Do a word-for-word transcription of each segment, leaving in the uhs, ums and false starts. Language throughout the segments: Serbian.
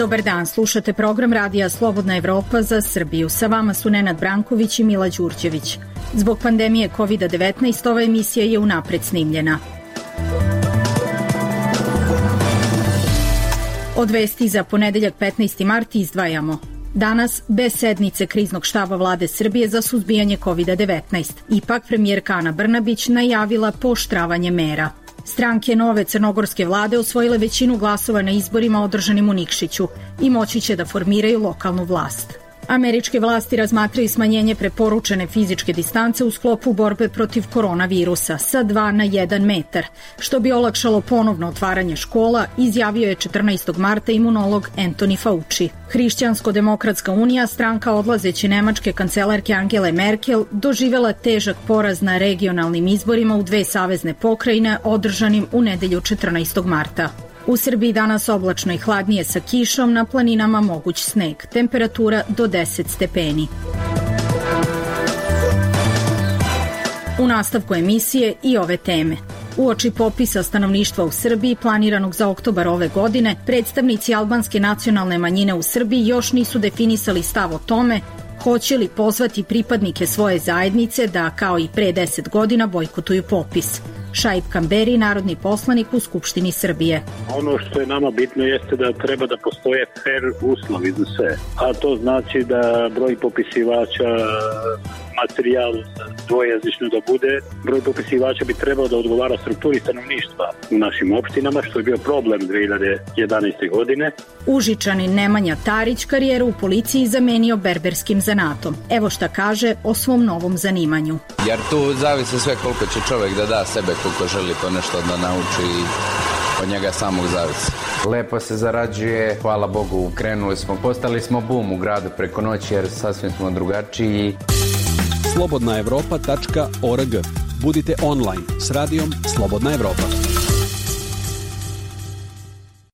Dobar dan, slušate program Radija Slobodna Evropa za Srbiju. Sa vama su Nenad Branković i Mila Đurđević. Zbog pandemije kovid devetnaest ova emisija je unapred snimljena. Od vesti za ponedeljak petnaesti mart izdvajamo. Danas bez sednice kriznog štaba vlade Srbije za suzbijanje kovid devetnaest. Ipak premijerka Ana Brnabić najavila pooštravanje mera. Stranke nove crnogorske vlade osvojile većinu glasova na izborima održanim u Nikšiću i moći će da formiraju lokalnu vlast. Američke vlasti razmatraju smanjenje preporučene fizičke distance u sklopu borbe protiv koronavirusa sa dva na jedan metar, što bi olakšalo ponovno otvaranje škola, izjavio je četrnaestog marta imunolog Anthony Fauci. Hrišćansko-demokratska unija, stranka odlazeće nemačke kancelarke Angele Merkel, doživela težak poraz na regionalnim izborima u dve savezne pokrajine održanim u nedelju četrnaestog marta. U Srbiji danas oblačno i hladnije sa kišom, na planinama moguć sneg, temperatura do deset stepeni. U nastavku emisije i ove teme. Uoči popisa stanovništva u Srbiji planiranog za oktobar ove godine, predstavnici albanske nacionalne manjine u Srbiji još nisu definisali stav o tome hoće li pozvati pripadnike svoje zajednice da, kao i pre deset godina, bojkotuju popis. Šaip Kamberi, narodni poslanik u Skupštini Srbije. Ono što je nama bitno jeste da treba da postoje fair uslovi za sve. A to znači da broj popisivača, materijal dvojezično da bude, broj popisivača bi trebao da odgovara strukturi stanovništva u našim opštinama, što je bio problem dve hiljade jedanaeste. godine. Užičanin Nemanja Tarić karijeru u policiji zamenio berberskim zanatom. Evo šta kaže o svom novom zanimanju. Jer tu zavisi sve koliko će čovjek da da sebe, koliko želi to nešto da nauči i od njega samog zavisi. Lepo se zarađuje, hvala Bogu, krenuli smo, postali smo bum u gradu preko noći jer sasvim smo drugačiji. slobodna evropa tačka org. Budite online s radijom Slobodna Evropa.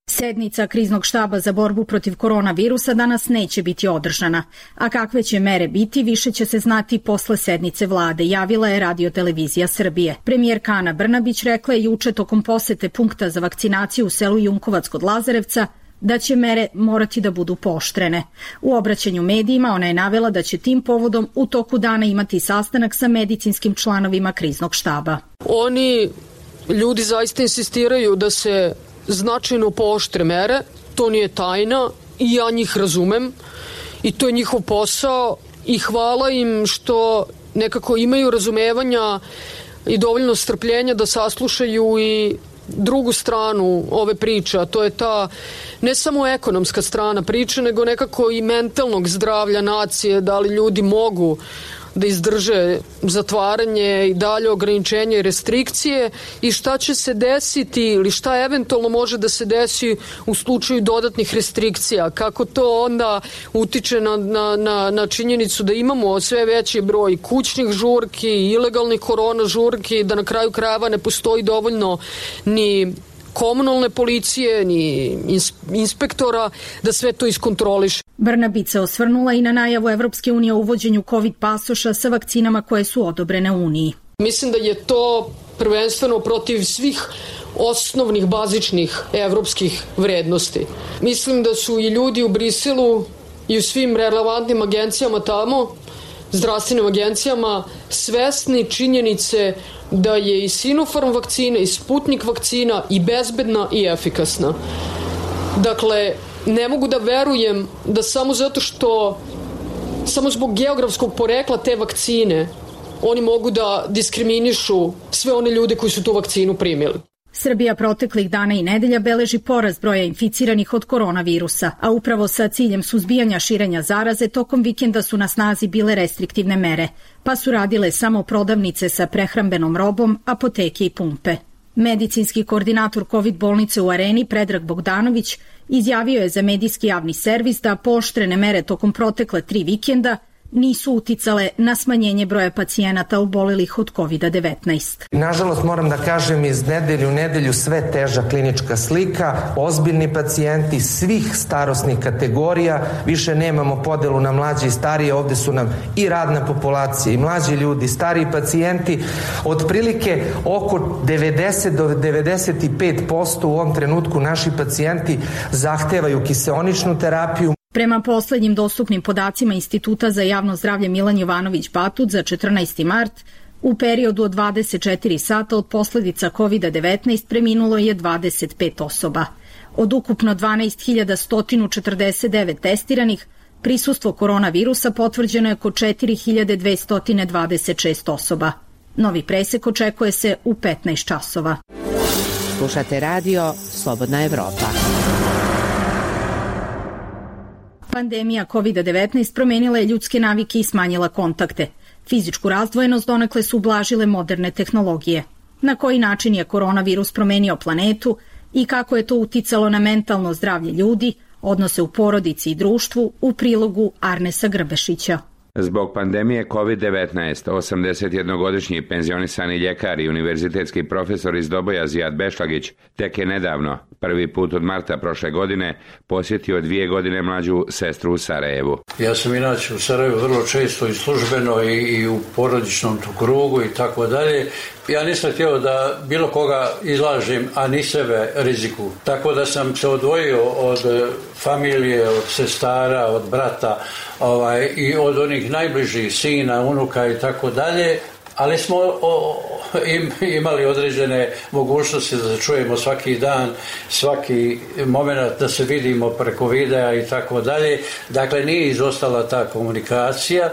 Sednica kriznog štaba za borbu protiv koronavirusa danas neće biti održana, a kakve će mere biti više će se znati posle sednice vlade, javila je Radio-televizija Srbije. Premijerka Ana Brnabić rekla je juče tokom posete punkta za vakcinaciju u selu Junkovac kod Lazarevca da će mere morati da budu pooštrene. U obraćanju medijima ona je navela da će tim povodom u toku dana imati sastanak sa medicinskim članovima kriznog štaba. Oni ljudi zaista insistiraju da se značajno pooštre mere, to nije tajna i ja njih razumem i to je njihov posao i hvala im što nekako imaju razumevanja i dovoljno strpljenja da saslušaju i drugu stranu ove priče, a to je ta ne samo ekonomska strana priče, nego nekako i mentalnog zdravlja nacije, da li ljudi mogu da izdrže zatvaranje i dalje ograničenje i restrikcije i šta će se desiti ili šta eventualno može da se desi u slučaju dodatnih restrikcija, kako to onda utiče na, na, na, na činjenicu da imamo sve veći broj kućnih žurki, ilegalnih korona žurki, da na kraju krajeva ne postoji dovoljno ni komunalne policije, ni inspektora da sve to iskontroliše. Brnabić se osvrnula i na najavu Evropske unije o uvođenju COVID pasoša sa vakcinama koje su odobrene u Uniji. Mislim da je to prvenstveno protiv svih osnovnih, bazičnih evropskih vrednosti. Mislim da su i ljudi u Briselu i u svim relevantnim agencijama tamo, zdravstvenim agencijama, svesni činjenice da je i Sinopharm vakcina i Sputnik vakcina i bezbedna i efikasna. Dakle, ne mogu da verujem da samo zato što, samo zbog geografskog porekla te vakcine, oni mogu da diskriminišu sve one ljude koji su tu vakcinu primili. Srbija proteklih dana i nedelja beleži porast broja inficiranih od koronavirusa, a upravo sa ciljem suzbijanja širenja zaraze tokom vikenda su na snazi bile restriktivne mere, pa su radile samo prodavnice sa prehrambenom robom, apoteke i pumpe. Medicinski koordinator COVID bolnice u Areni Predrag Bogdanović izjavio je za medijski javni servis da pooštrene mere tokom protekle tri vikenda nisu uticale na smanjenje broja pacijenata obolelih od kovid devetnaest. Nažalost, moram da kažem, iz nedelju u nedelju sve teža klinička slika, ozbiljni pacijenti svih starosnih kategorija, više nemamo podelu na mlađe i starije, ovde su nam i radna populacija i mlađi ljudi, stariji pacijenti, otprilike oko devedeset do devedeset pet posto u ovom trenutku naši pacijenti zahtevaju kiseoničnu terapiju. Prema poslednjim dostupnim podacima Instituta za javno zdravlje Milan Jovanović Batut za četrnaesti mart, u periodu od dvadeset četiri sata od posledica kovid devetnaest preminulo je dvadeset pet osoba. Od ukupno dvanaest hiljada sto četrdeset devet testiranih, prisustvo koronavirusa potvrđeno je kod četiri hiljade dvesta dvadeset šest osoba. Novi presek očekuje se u petnaest časova. Slušate radio Slobodna Evropa. Pandemija kovid devetnaest promenila je ljudske navike i smanjila kontakte. Fizičku razdvojenost donekle su ublažile moderne tehnologije. Na koji način je koronavirus promenio planetu i kako je to uticalo na mentalno zdravlje ljudi, odnose u porodici i društvu, u prilogu Arnesa Grbešića. Zbog pandemije kovid devetnaest, osamdesetjednogodišnji penzionisani ljekar i univerzitetski profesor iz Doboja Zijad Bešlagić tek je nedavno, prvi put od marta prošle godine, posjetio dvije godine mlađu sestru u Sarajevu. Ja sam inače u Sarajevu vrlo često i službeno i, i u porodičnom krugu i tako dalje. Ja nisam htio da bilo koga izlažem, a ni sebe riziku. Tako da sam se odvojio od familije, od sestara, od brata ovaj, i od onih najbližih sina, unuka i tako dalje. Ali smo o, im, imali određene mogućnosti da se čujemo svaki dan, svaki moment da se vidimo preko videa i tako dalje. Dakle, nije izostala ta komunikacija.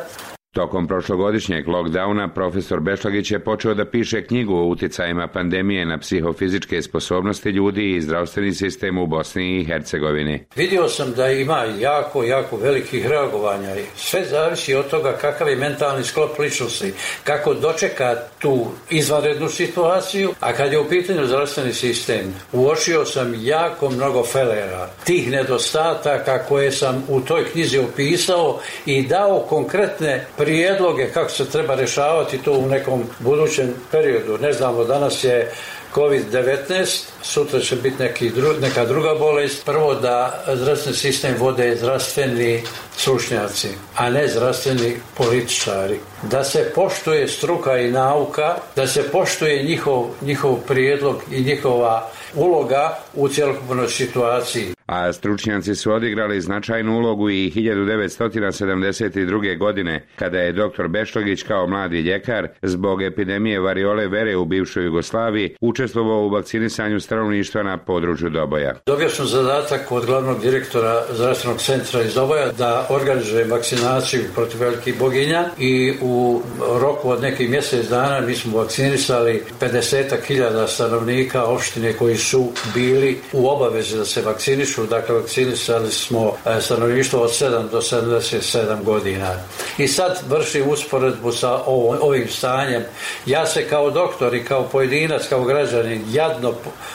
Tokom prošlogodišnjeg lockdowna profesor Bešlagić je počeo da piše knjigu o uticajima pandemije na psihofizičke sposobnosti ljudi i zdravstveni sistem u Bosni i Hercegovini. Vidio sam da ima jako, jako velikih reagovanja. Sve zavisi od toga kakav je mentalni sklop ličnosti, kako dočeka tu izvanrednu situaciju, a kad je u pitanju zdravstveni sistem, uočio sam jako mnogo felera, tih nedostataka koje sam u toj knjizi opisao i dao konkretne prijedloge kako se treba rješavati to u nekom budućem periodu. Ne znamo, danas je kovid devetnaest, sutra će biti neki dru, neka druga bolest. Prvo da zdravstveni sistem vode zdravstveni stručnjaci, a ne zdravstveni političari. Da se poštuje struka i nauka, da se poštuje njihov, njihov prijedlog i njihova uloga u cjelokupnoj situaciji. A stručnjaci su odigrali značajnu ulogu i hiljadu devetsto sedamdeset druge. godine, kada je doktor Bešlagić kao mladi ljekar zbog epidemije variole vere u bivšoj Jugoslaviji učestvovao u vakcinisanju stanovništva na području Doboja. Dobio sam zadatak od glavnog direktora zdravstvenog centra iz Doboja da organizujem vakcinaciju protiv velikih boginja i u roku od nekih mjesec dana mi smo vakcinisali pedeset hiljada stanovnika opštine koji su bili u obavezi da se vakcinišu. Dakle, vakcinisali smo stanovništvo od sedam do sedamdeset sedam godina. I sad vršim usporedbu sa ovo, ovim stanjem. Ja se kao doktor i kao pojedinac, kao građanin jadno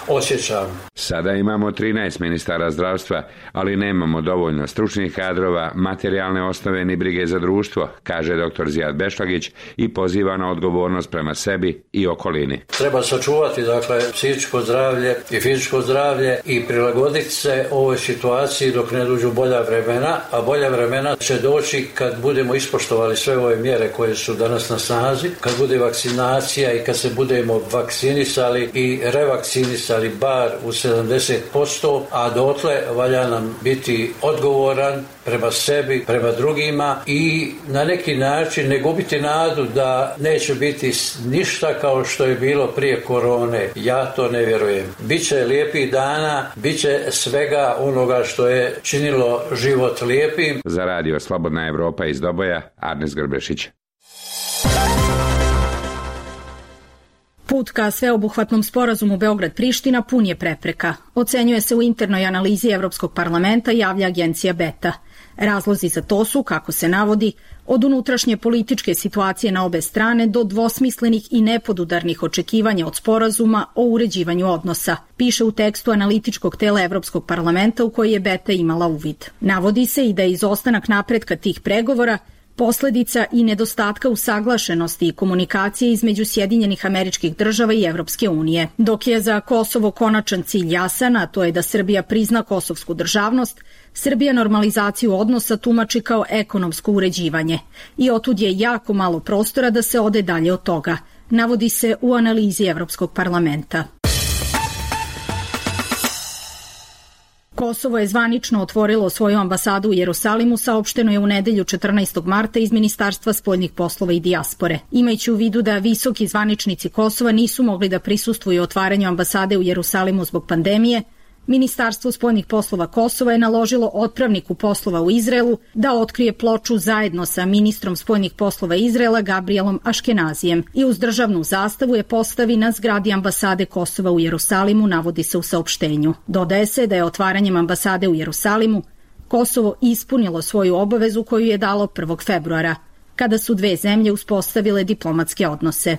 osjećam. Sada imamo trinaest ministara zdravstva, ali nemamo dovoljno stručnih kadrova, materijalne osnove ni brige za društvo, kaže doktor Zijad Bešlagić i poziva na odgovornost prema sebi i okolini. Treba sačuvati, dakle, psihičko zdravlje i fizičko zdravlje i prilagoditi se ovoj situaciji dok ne dođu bolja vremena, a bolja vremena će doći kad budemo ispoštovali sve ove mjere koje su danas na snazi, kad bude vakcinacija i kad se budemo vakcinisali i revakcinisali bar u sedamdeset posto, a dotle valja nam biti odgovoran prema sebi, prema drugima i na neki način ne gubiti nadu da neće biti ništa kao što je bilo prije korone. Ja to ne vjerujem. Biće lijepih dana, biće svega onoga što je činilo život lijepim. Za radio Slobodna Evropa iz Doboja, Arnes Grbešić. Put ka sveobuhvatnom sporazumu Beograd-Priština pun je prepreka. Ocenjuje se u internoj analizi Evropskog parlamenta, javlja agencija Beta. Razlozi za to su, kako se navodi, od unutrašnje političke situacije na obe strane do dvosmislenih i nepodudarnih očekivanja od sporazuma o uređivanju odnosa, piše u tekstu analitičkog tela Evropskog parlamenta u koji je Beta imala uvid. Navodi se i da je izostanak napretka tih pregovora posledica i nedostatka usaglašenosti i komunikacije između Sjedinjenih Američkih Država i Evropske unije. Dok je za Kosovo konačan cilj jasan, a to je da Srbija prizna kosovsku državnost, Srbija normalizaciju odnosa tumači kao ekonomsko uređivanje i otud je jako malo prostora da se ode dalje od toga, navodi se u analizi Evropskog parlamenta. Kosovo je zvanično otvorilo svoju ambasadu u Jerusalimu, saopšteno je u nedelju četrnaestog marta iz Ministarstva spoljnih poslova i dijaspore. Imajući u vidu da visoki zvaničnici Kosova nisu mogli da prisustvuju otvaranju ambasade u Jerusalimu zbog pandemije, Ministarstvo spoljnih poslova Kosova je naložilo otpravniku poslova u Izraelu da otkrije ploču zajedno sa ministrom spoljnih poslova Izraela Gabrielom Aškenazijem i uz državnu zastavu je postavi na zgradi ambasade Kosova u Jerusalimu, navodi se u saopštenju. Dodaje se da je otvaranjem ambasade u Jerusalimu Kosovo ispunilo svoju obavezu koju je dalo prvog februara, kada su dve zemlje uspostavile diplomatske odnose.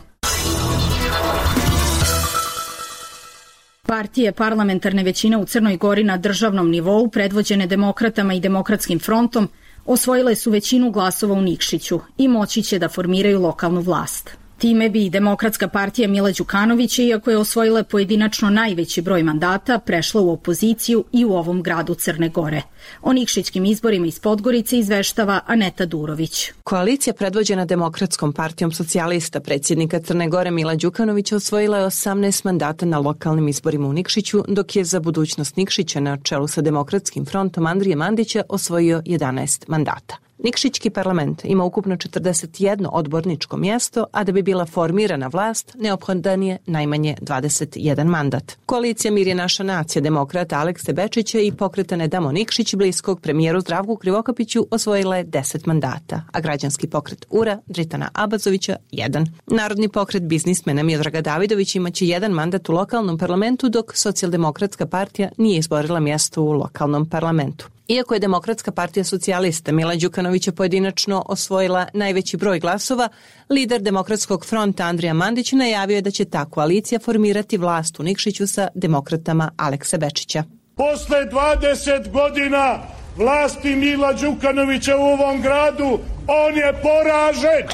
Partije parlamentarne većine u Crnoj Gori na državnom nivou, predvođene Demokratama i Demokratskim frontom, osvojile su većinu glasova u Nikšiću i moći će da formiraju lokalnu vlast. Time bi Demokratska partija Mila Đukanovića, iako je osvojila pojedinačno najveći broj mandata, prešla u opoziciju i u ovom gradu Crne Gore. O nikšićkim izborima iz Podgorice izveštava Aneta Durović. Koalicija predvođena Demokratskom partijom socijalista predsjednika Crne Gore Mila Đukanovića osvojila je osamnaest mandata na lokalnim izborima u Nikšiću, dok je za budućnost Nikšića na čelu sa Demokratskim frontom Andrije Mandića osvojio jedanaest mandata. Nikšićki parlament ima ukupno četrdeset jedno odborničko mjesto, a da bi bila formirana vlast, neophodan je najmanje dvadeset jedan mandat. Koalicija Mir je naša nacija demokrata Alekse Bečića i pokreta Ne damo Nikšić bliskog premijeru Zdravku Krivokapiću osvojila je deset mandata, a građanski pokret U R A Dritana Abazovića jedan. Narodni pokret biznismena Miodraga Davidovića imaće jedan mandat u lokalnom parlamentu, dok Socijaldemokratska partija nije izborila mjesto u lokalnom parlamentu. Iako je Demokratska partija socijalista Mila Đukanovića pojedinačno osvojila najveći broj glasova, lider Demokratskog fronta Andrija Mandić najavio je da će ta koalicija formirati vlast u Nikšiću sa demokratama Alekse Bečića. Posle dvadeset godina vlasti Mila Đukanovića u ovom gradu, on je poražen.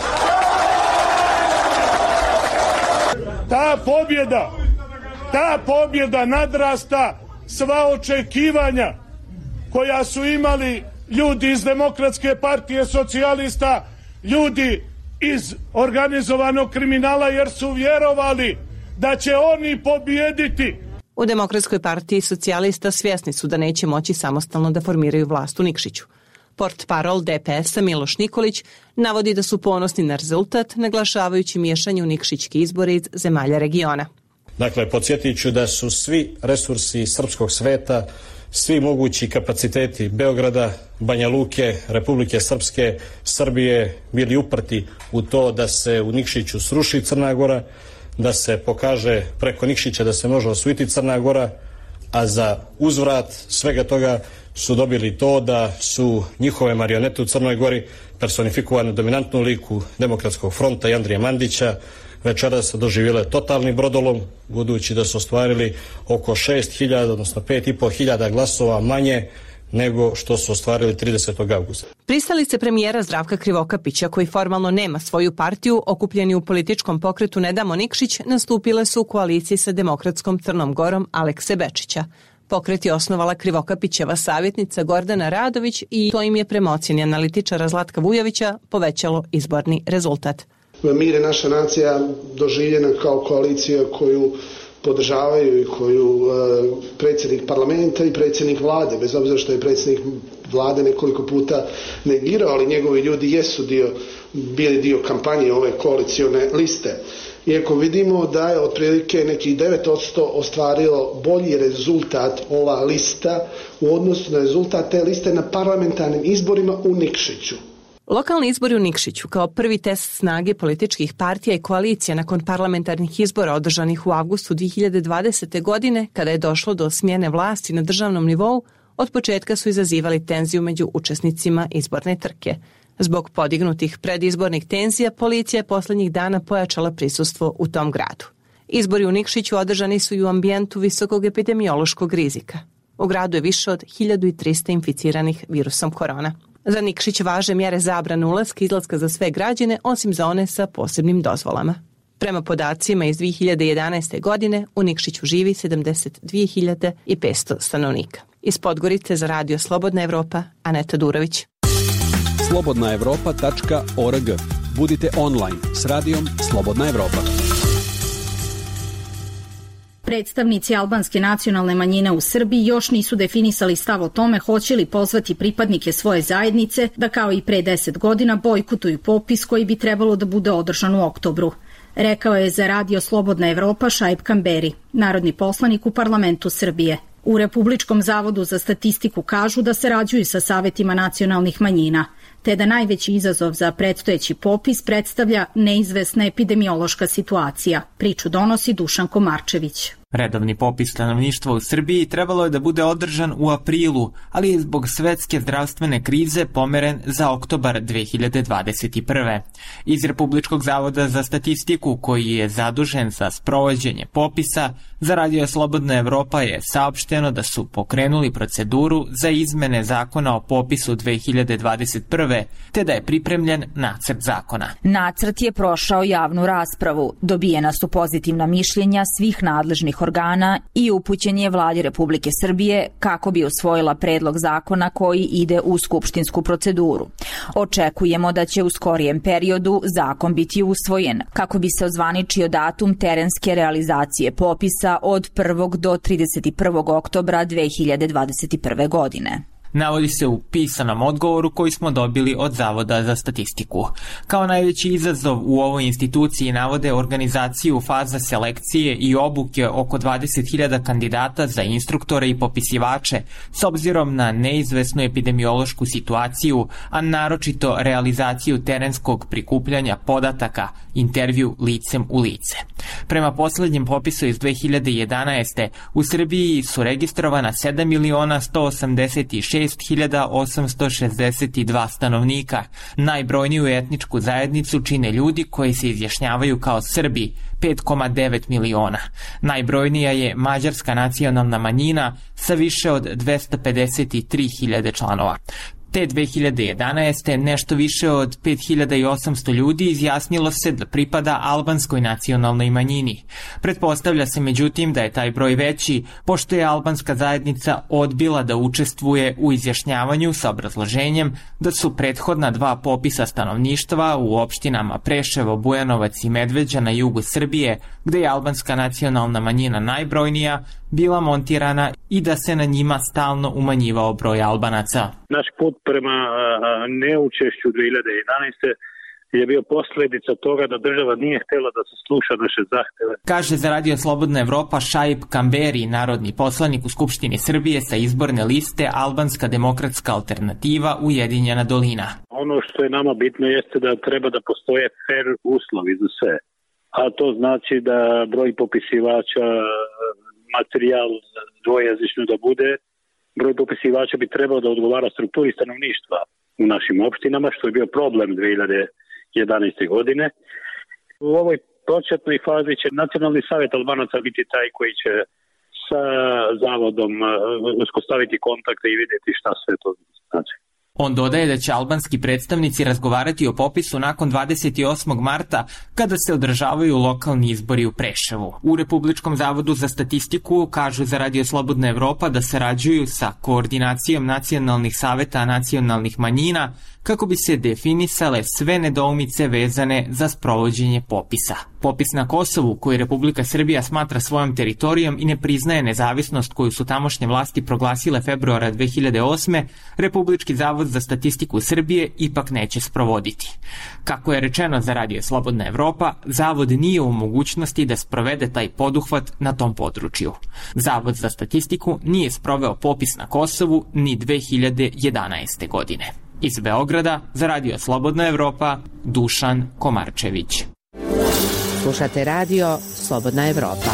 Ta pobjeda, ta pobjeda nadrasta sva očekivanja koja su imali ljudi iz Demokratske partije socijalista, ljudi iz organizovanog kriminala, jer su vjerovali da će oni pobijediti. U Demokratskoj partiji socijalista svjesni su da neće moći samostalno da formiraju vlast u Nikšiću. Portparol D P S-a Miloš Nikolić navodi da su ponosni na rezultat, naglašavajući miješanje u nikšićke izbore iz zemalja regiona. Dakle, podsjetit ću da su svi resursi srpskog sveta, svi mogući kapaciteti Beograda, Banja Luke, Republike Srpske, Srbije bili uprti u to da se u Nikšiću sruši Crna Gora, da se pokaže preko Nikšića da se može osvojiti Crna Gora, a za uzvrat svega toga su dobili to da su njihove marionete u Crnoj Gori personifikovane u dominantnu liku Demokratskog fronta i Andrije Mandića večeras doživjele totalni brodolom, budući da su ostvarili oko šest hiljada, odnosno pet i po hiljada glasova manje nego što su ostvarili tridesetog avgusta. Pristalice premijera Zdravka Krivokapića, koji formalno nema svoju partiju, okupljeni u političkom pokretu Ne damo Nikšić, nastupile su u koaliciji sa Demokratskom Crnom Gorom Alekse Bečića. Pokret je osnovala Krivokapićeva savjetnica Gordana Radović i to im je prema ocjeni analitičara Zlatka Vujovića povećalo izborni rezultat. Mir je naša nacija doživljena kao koalicija koju podržavaju i koju e, predsjednik parlamenta i predsjednik vlade, bez obzira što je predsjednik vlade nekoliko puta negirao, ali njegovi ljudi jesu dio, bili dio kampanje ove koalicione liste. Iako vidimo da je otprilike nekih devet posto ostvarilo bolji rezultat ova lista u odnosu na rezultat te liste na parlamentarnim izborima u Nikšiću. Lokalni izbori u Nikšiću kao prvi test snage političkih partija i koalicija nakon parlamentarnih izbora održanih u avgustu dvije hiljade dvadesete. godine, kada je došlo do smjene vlasti na državnom nivou, od početka su izazivali tenziju među učesnicima izborne trke. Zbog podignutih predizbornih tenzija, policija je posljednjih dana pojačala prisustvo u tom gradu. Izbori u Nikšiću održani su i u ambijentu visokog epidemiološkog rizika. U gradu je više od hiljadu trista inficiranih virusom korona. Za Nikšić važe mjere zabrane ulaska i izlaska za sve građane, osim za one sa posebnim dozvolama. Prema podacima iz dvije hiljade jedanaeste. godine u Nikšiću živi sedamdeset dvije hiljade petsto stanovnika. Iz Podgorice za Radio Slobodna Evropa, Aneta Durović. slobodna evropa tačka org. Budite online s radijom Slobodna Evropa. Predstavnici albanske nacionalne manjine u Srbiji još nisu definisali stav o tome hoće li pozvati pripadnike svoje zajednice da kao i pre deset godina bojkotuju popis koji bi trebalo da bude održan u oktobru. Rekao je za Radio Slobodna Evropa Šaip Kamberi, narodni poslanik u parlamentu Srbije. U Republičkom zavodu za statistiku kažu da sarađuju sa savetima nacionalnih manjina, te da najveći izazov za predstojeći popis predstavlja neizvesna epidemiološka situacija. Priču donosi Dušan Komarčević. Redovni popis stanovništva u Srbiji trebalo je da bude održan u aprilu, ali je zbog svetske zdravstvene krize pomeren za oktobar dve hiljade dvadeset prve. Iz Republičkog zavoda za statistiku, koji je zadužen za sprovođenje popisa, za Radio Slobodna Evropa je saopšteno da su pokrenuli proceduru za izmene zakona o popisu dve hiljade dvadeset prve, te da je pripremljen nacrt zakona. Nacrt je prošao javnu raspravu, dobijena su pozitivna mišljenja svih nadležnih organa i upućen je Vladi Republike Srbije kako bi usvojila predlog zakona koji ide u skupštinsku proceduru. Očekujemo da će u skorijem periodu zakon biti usvojen, kako bi se ozvaničio datum terenske realizacije popisa od prvog do trideset prvog oktobra dve hiljade dvadeset prve. godine. Navodi se u pisanom odgovoru koji smo dobili od Zavoda za statistiku. Kao najveći izazov u ovoj instituciji navode organizaciju faza selekcije i obuke oko dvadeset hiljada kandidata za instruktore i popisivače s obzirom na neizvesnu epidemiološku situaciju, a naročito realizaciju terenskog prikupljanja podataka, intervju licem u lice. Prema poslednjem popisu iz dve hiljade jedanaeste. u Srbiji su registrovana sedam miliona sto osamdeset šest hiljada osamsto šezdeset dva stanovnika. Najbrojniju etničku zajednicu čine ljudi koji se izjašnjavaju kao Srbi, pet zarez devet miliona. Najbrojnija je mađarska nacionalna manjina sa više od dvesta pedeset tri hiljade članova. Te dve hiljade jedanaeste. nešto više od pet hiljada osamsto ljudi izjasnilo se da pripada albanskoj nacionalnoj manjini. Pretpostavlja se međutim da je taj broj veći, pošto je albanska zajednica odbila da učestvuje u izjašnjavanju sa obrazloženjem da su prethodna dva popisa stanovništva u opštinama Preševo, Bujanovac i Medveđa na jugu Srbije, gde je albanska nacionalna manjina najbrojnija, bila montirana i da se na njima stalno umanjivao broj Albanaca. Naš put prema neučešću dve hiljade jedanaeste. je bio posljedica toga da država nije htjela da se sluša naše zahteve. Kaže za Radio Slobodna Evropa Šaip Kamberi, narodni poslanik u Skupštini Srbije sa izborne liste Albanska demokratska alternativa Ujedinjena dolina. Ono što je nama bitno jeste da treba da postoje fair uslovi za sve. A to znači da broj popisivača, materijal dvojezično da bude, broj popisivača bi trebao da odgovara strukturi stanovništva u našim opštinama, što je bio problem dve hiljade jedanaeste. godine. U ovoj početnoj fazi će Nacionalni savjet Albanaca biti taj koji će sa zavodom uspostaviti kontakte i vidjeti šta sve to znači. On dodaje da će albanski predstavnici razgovarati o popisu nakon dvadeset osmog marta kada se održavaju lokalni izbori u Preševu. U Republičkom zavodu za statistiku kažu za Radio Slobodna Evropa da sarađuju sa koordinacijom nacionalnih saveta nacionalnih manjina kako bi se definisale sve nedoumice vezane za sprovođenje popisa. Popis na Kosovu, koji Republika Srbija smatra svojom teritorijom i ne priznaje nezavisnost koju su tamošnje vlasti proglasile februara dve hiljade osme. Republički zavod za statistiku Srbije ipak neće sprovoditi. Kako je rečeno za Radio Slobodna Evropa, zavod nije u mogućnosti da sprovede taj poduhvat na tom području. Zavod za statistiku nije sproveo popis na Kosovu ni dve hiljade jedanaeste. godine. Iz Beograda za Radio Slobodna Evropa, Dušan Komarčević. Slušate Radio Slobodna Evropa.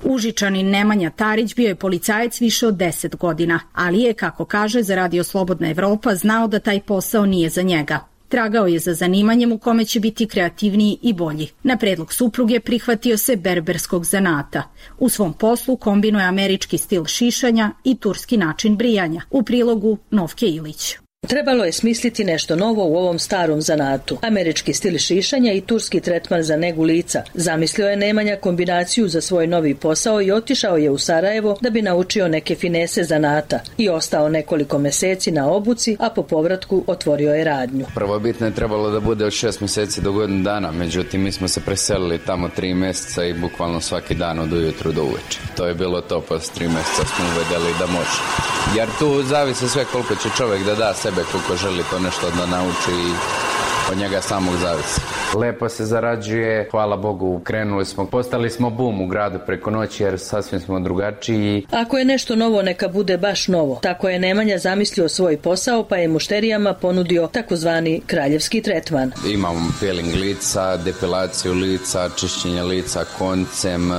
Užičanin Nemanja Tarić bio je policajac više od deset godina, ali je, kako kaže za Radio Slobodna Evropa, znao da taj posao nije za njega. Tragao je za zanimanjem u kome će biti kreativniji i bolji. Na predlog supruge prihvatio se berberskog zanata. U svom poslu kombinuje američki stil šišanja i turski način brijanja. U prilogu Novke Ilić. Trebalo je smisliti nešto novo u ovom starom zanatu. Američki stil šišanja i turski tretman za negu lica. Zamislio je Nemanja kombinaciju za svoj novi posao i otišao je u Sarajevo da bi naučio neke finese zanata. I ostao nekoliko meseci na obuci, a po povratku otvorio je radnju. Prvobitno je trebalo da bude od šest meseci do godinu dana, međutim mi smo se preselili tamo tri meseca i bukvalno svaki dan od ujutru do uveče. To je bilo to, posle tri meseca smo uvedeli da može. Jer tu zavisi sve koliko će čovjek da da sebe, koliko želi to nešto da nauči i od njega samog zavisi. Lepo se zarađuje, hvala Bogu, krenuli smo, postali smo bum u gradu preko noći jer sasvim smo drugačiji. Ako je nešto novo, neka bude baš novo. Tako je Nemanja zamislio svoj posao, pa je mušterijama ponudio takozvani kraljevski tretman. Imamo peeling lica, depilaciju lica, čišćenje lica koncem,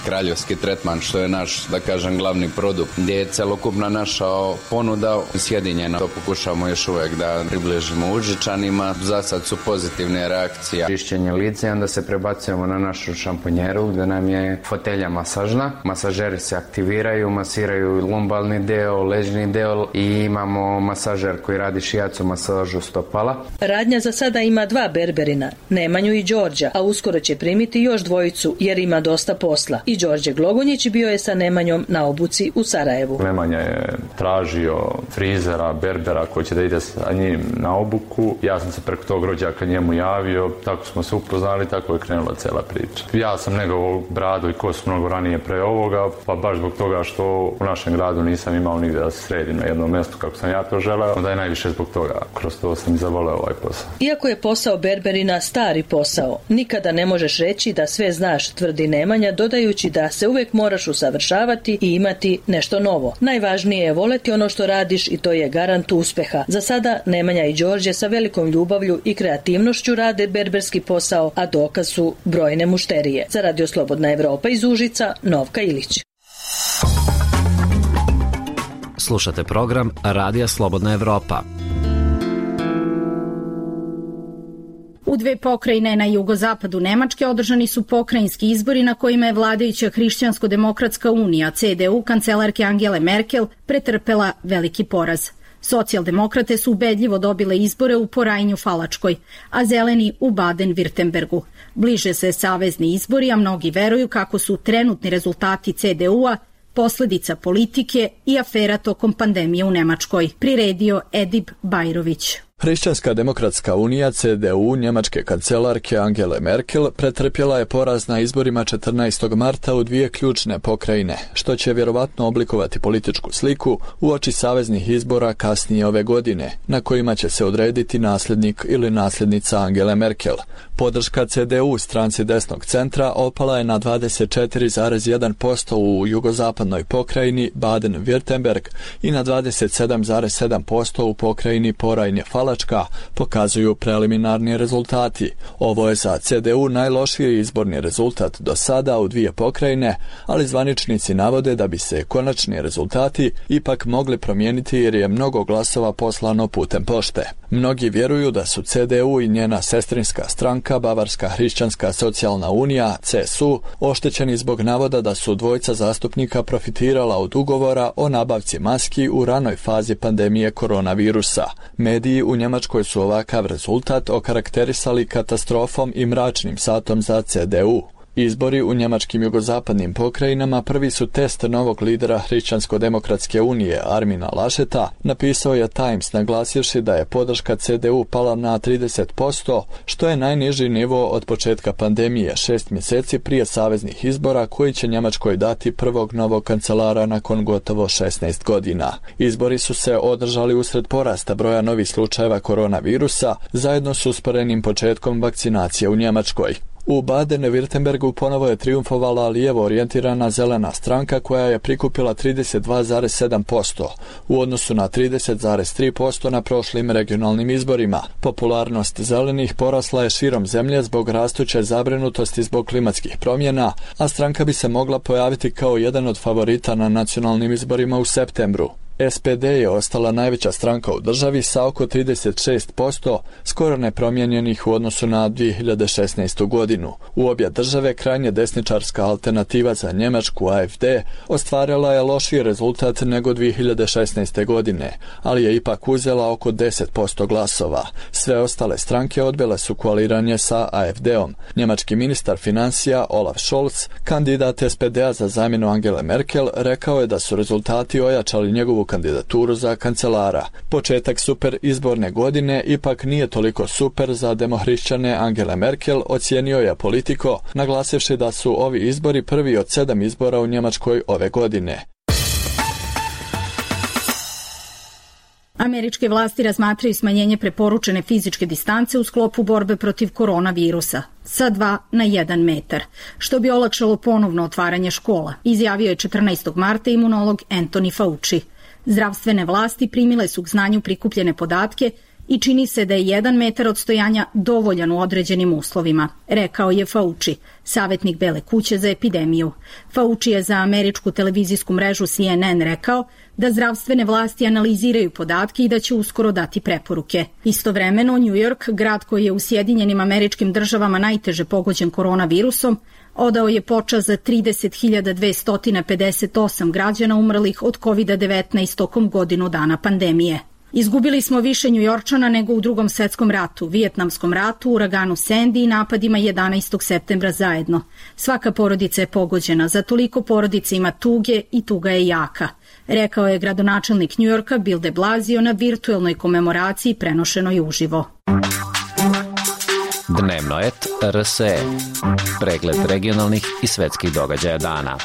kraljevski tretman, što je naš, da kažem, glavni produkt, gdje je celokupna naša ponuda sjedinjena. To pokušamo još uvijek da približimo Užičanima. Za sad su pozitivne reakcije. Čišćenje lica i onda se prebacujemo na našu šamponjeru gdje nam je fotelja masažna. Masažeri se aktiviraju, masiraju lumbalni deo, ležni deo i imamo masažer koji radi šijacu masažu stopala. Radnja za sada ima dva berberina, Nemanju i Đorđa, a uskoro će primiti još dvojicu jer ima dosta posla. I Đorđe Glogonjić bio je sa Nemanjom na obuci u Sarajevu. Nemanja je tražio frizera, berbera koji će da ide sa njim na obuku. Ja sam se preko tog rođaka njemu javio, tako smo se upoznali, tako je krenula cela priča. Ja sam negovao bradu i kosu mnogo ranije pre ovoga, pa baš zbog toga što u našem gradu nisam imao nigde da se sredim na jednom mjestu kako sam ja to želeo, onda je najviše zbog toga. Kroz to sam i zavoleo ovaj posao. Iako je posao berberina stari posao, nikada ne možeš reći da sve znaš, tvrdi Nemanja, dodajući da se uvek moraš usavršavati i imati nešto novo. Najvažnije je voleti ono što radiš i to je garant uspeha. Za sada Nemanja i Đorđe sa velikom ljubavlju i kreativnošću rade berberski posao, a dokaz su brojne mušterije. Za Radio Slobodna Evropa iz Užica, Novka Ilić. Slušate program Radija Slobodna Evropa. U dve pokrajine na jugozapadu Nemačke održani su pokrajinski izbori na kojima je vladajuća Hrišćansko-demokratska unija, C D U, kancelarke Angele Merkel, pretrpela veliki poraz. Socijaldemokrate su ubedljivo dobile izbore u Porajnju Falačkoj, a zeleni u Baden-Württembergu. Bliže se savezni izbori, a mnogi veruju kako su trenutni rezultati C D U-a posledica politike i afera tokom pandemije u Nemačkoj, priredio Edib Bajrović. Hrišćanska demokratska unija C D U njemačke kancelarke Angele Merkel pretrpjela je poraz na izborima četrnaestog marta u dvije ključne pokrajine, što će vjerovatno oblikovati političku sliku uoči saveznih izbora kasnije ove godine, na kojima će se odrediti nasljednik ili nasljednica Angele Merkel. Podrška C D U stranci desnog centra opala je na dvadeset četiri zarez jedan posto u jugozapadnoj pokrajini Baden-Württemberg i na dvadeset sedam zarez sedam posto u pokrajini Porajnje Falačka, pokazuju preliminarni rezultati. Ovo je za C D U najlošiji izborni rezultat do sada u dvije pokrajine, ali zvaničnici navode da bi se konačni rezultati ipak mogli promijeniti jer je mnogo glasova poslano putem pošte. Mnogi vjeruju da su C D U i njena sestrinska stranka Bavarska hrišćanska socijalna unija C S U oštećeni zbog navoda da su dvojica zastupnika profitirala od ugovora o nabavci maski u ranoj fazi pandemije koronavirusa. Mediji u Njemačkoj su ovakav rezultat okarakterisali katastrofom i mračnim satom za C D U. Izbori u njemačkim jugozapadnim pokrajinama prvi su test novog lidera Hrišćansko-demokratske unije Armina Lascheta, napisao je Times naglasivši da je podrška C D U pala na trideset posto, što je najniži nivo od početka pandemije, šest mjeseci prije saveznih izbora koji će Njemačkoj dati prvog novog kancelara nakon gotovo šesnaest godina. Izbori su se održali usred porasta broja novih slučajeva koronavirusa, zajedno s usporenim početkom vakcinacije u Njemačkoj. U Baden-Württembergu ponovo je triumfovala lijevo orijentirana zelena stranka koja je prikupila trideset dva zarez sedam posto u odnosu na trideset zarez tri posto na prošlim regionalnim izborima. Popularnost zelenih porasla je širom zemlje zbog rastuće zabrinutosti zbog klimatskih promjena, a stranka bi se mogla pojaviti kao jedan od favorita na nacionalnim izborima u septembru. S P D je ostala najveća stranka u državi sa oko trideset šest posto, skoro nepromijenjenih u odnosu na dvije hiljade šesnaestu godinu. U obje države krajnje desničarska alternativa za Njemačku A F D ostvarila je lošiji rezultat nego dvije hiljade šesnaeste godine, ali je ipak uzela oko deset posto glasova. Sve ostale stranke odbile su koaliranje sa A F D-om. Njemački ministar financija Olaf Scholz, kandidat S P D-a za zamjenu Angele Merkel, rekao je da su rezultati ojačali njegovu kandidaturu za kancelara. Početak super izborne godine ipak nije toliko super za demohrišćane Angele Merkel, ocijenio je Politico, naglasivši da su ovi izbori prvi od sedam izbora u Njemačkoj ove godine. Američke vlasti razmatraju smanjenje preporučene fizičke distance u sklopu borbe protiv koronavirusa sa dva na jedan metar, što bi olakšalo ponovno otvaranje škola, izjavio je četrnaestog marta imunolog Anthony Fauci. Zdravstvene vlasti primile su k znanju prikupljene podatke i čini se da je jedan metar odstojanja dovoljan u određenim uslovima, rekao je Fauci, savjetnik Bele kuće za epidemiju. Fauci je za američku televizijsku mrežu C N N rekao da zdravstvene vlasti analiziraju podatke i da će uskoro dati preporuke. Istovremeno, New York, grad koji je u Sjedinjenim Američkim Državama najteže pogođen koronavirusom, odao je počast za trideset hiljada dvesta pedeset osam građana umrlih od kovid devetnaest tokom godinu dana pandemije. Izgubili smo više Njujorčana nego u Drugom svetskom ratu, Vijetnamskom ratu, uraganu Sandy i napadima jedanaestog septembra zajedno. Svaka porodica je pogođena, za toliko porodica ima tuge i tuga je jaka, rekao je gradonačelnik Njujorka Bill de Blasio na virtuelnoj komemoraciji prenošenoj uživo. Dnevno et R S E. Pregled regionalnih i svetskih događaja dana.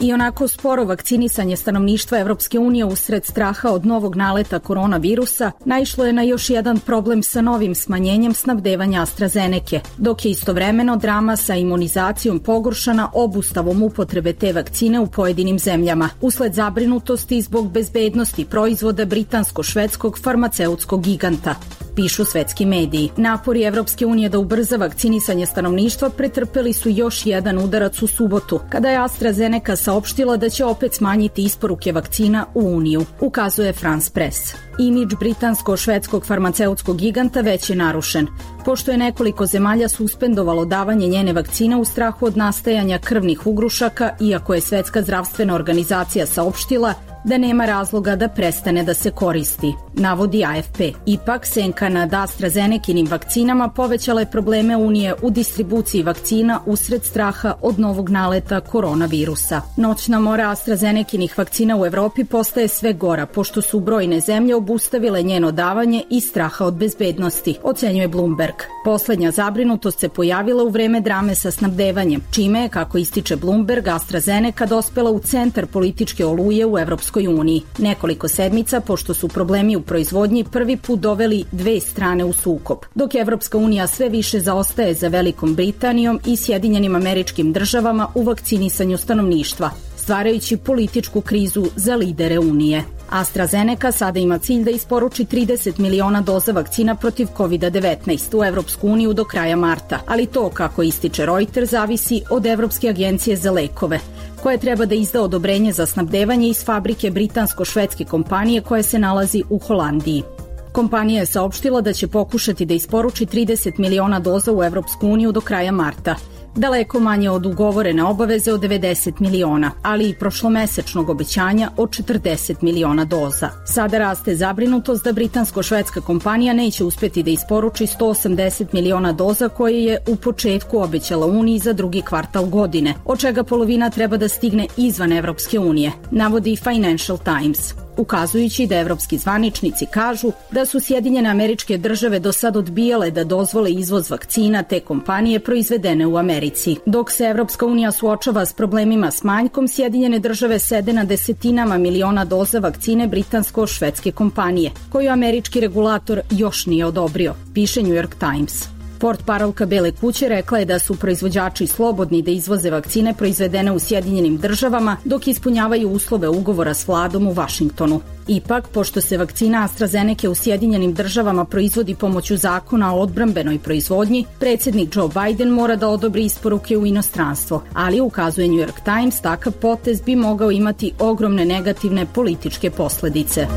I onako sporo vakcinisanje stanovništva Evropske unije usred straha od novog naleta koronavirusa naišlo je na još jedan problem sa novim smanjenjem snabdevanja AstraZeneke, dok je istovremeno drama sa imunizacijom pogoršana obustavom upotrebe te vakcine u pojedinim zemljama, usled zabrinutosti zbog bezbednosti proizvoda britansko-švedskog farmaceutskog giganta, pišu svetski mediji. Napori Evropske unije da ubrza vakcinisanje stanovništva pretrpeli su još jedan udarac u subotu, kada je AstraZeneca saopštila da će opet smanjiti isporuke vakcina u Uniju, ukazuje France Press. Imidž britansko-švedskog farmaceutskog giganta već je narušen, pošto je nekoliko zemalja suspendovalo davanje njene vakcine u strahu od nastajanja krvnih ugrušaka, iako je Svetska zdravstvena organizacija saopštila da nema razloga da prestane da se koristi, navodi A F P. Ipak, senka nad AstraZenekinim vakcinama povećala je probleme Unije u distribuciji vakcina usred straha od novog naleta koronavirusa. Noćna mora AstraZenekinih vakcina u Evropi postaje sve gora, pošto su brojne zemlje obustavile njeno davanje i straha od bezbednosti, ocenjuje Bloomberg. Poslednja zabrinutost se pojavila u vreme drame sa snabdevanjem, čime je, kako ističe Bloomberg, AstraZeneca dospela u centar političke oluje u Evropskoj uniji. Nekoliko sedmica, pošto su problemi u proizvodnji prvi put doveli dve strane u sukob, dok Evropska unija sve više zaostaje za Velikom Britanijom i Sjedinjenim Američkim Državama u vakcinisanju stanovništva, stvarajući političku krizu za lidere Unije. AstraZeneca sada ima cilj da isporuči trideset miliona doza vakcina protiv kovid devetnaest u Evropsku uniju do kraja marta, ali to, kako ističe Reuters, zavisi od Evropske agencije za lekove, koja treba da izda odobrenje za snabdevanje iz fabrike britansko-švedske kompanije koja se nalazi u Holandiji. Kompanija je saopštila da će pokušati da isporuči trideset miliona doza u Evropsku uniju do kraja marta, daleko manje od ugovorene obaveze od devedeset miliona, ali i prošlomesečnog obećanja od četrdeset miliona doza. Sada raste zabrinutost da britansko-švedska kompanija neće uspeti da isporuči sto osamdeset miliona doza koje je u početku obećala Uniji za drugi kvartal godine, od čega polovina treba da stigne izvan Evropske unije, navodi Financial Times, ukazujući da evropski zvaničnici kažu da su Sjedinjene Američke Države do sad odbijale da dozvole izvoz vakcina te kompanije proizvedene u Americi. Dok se Evropska unija suočava s problemima s manjkom, Sjedinjene Države sede na desetinama miliona doza vakcine britansko-švedske kompanije, koju američki regulator još nije odobrio, piše New York Times. Portparolka Bele kuće rekla je da su proizvođači slobodni da izvoze vakcine proizvedene u Sjedinjenim državama dok ispunjavaju uslove ugovora s vladom u Vašingtonu. Ipak, pošto se vakcina AstraZeneca u Sjedinjenim državama proizvodi pomoću zakona o odbrambenoj proizvodnji, predsjednik Joe Biden mora da odobri isporuke u inostranstvo, ali ukazuje New York Times, takav potez bi mogao imati ogromne negativne političke posledice.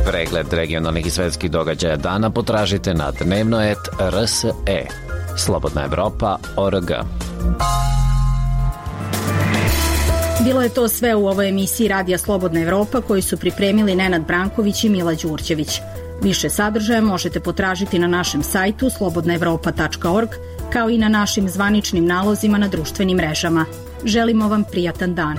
Pregled regionalnih i svetskih događaja dana potražite na dnevno et er es e. Slobodna Evropa tačka org. Bilo je to sve u ovoj emisiji Radija Slobodna Evropa koju su pripremili Nenad Branković i Mila Đurđević. Više sadržaja možete potražiti na našem sajtu slobodna evropa tačka org, kao i na našim zvaničnim nalozima na društvenim mrežama. Želimo vam prijatan dan.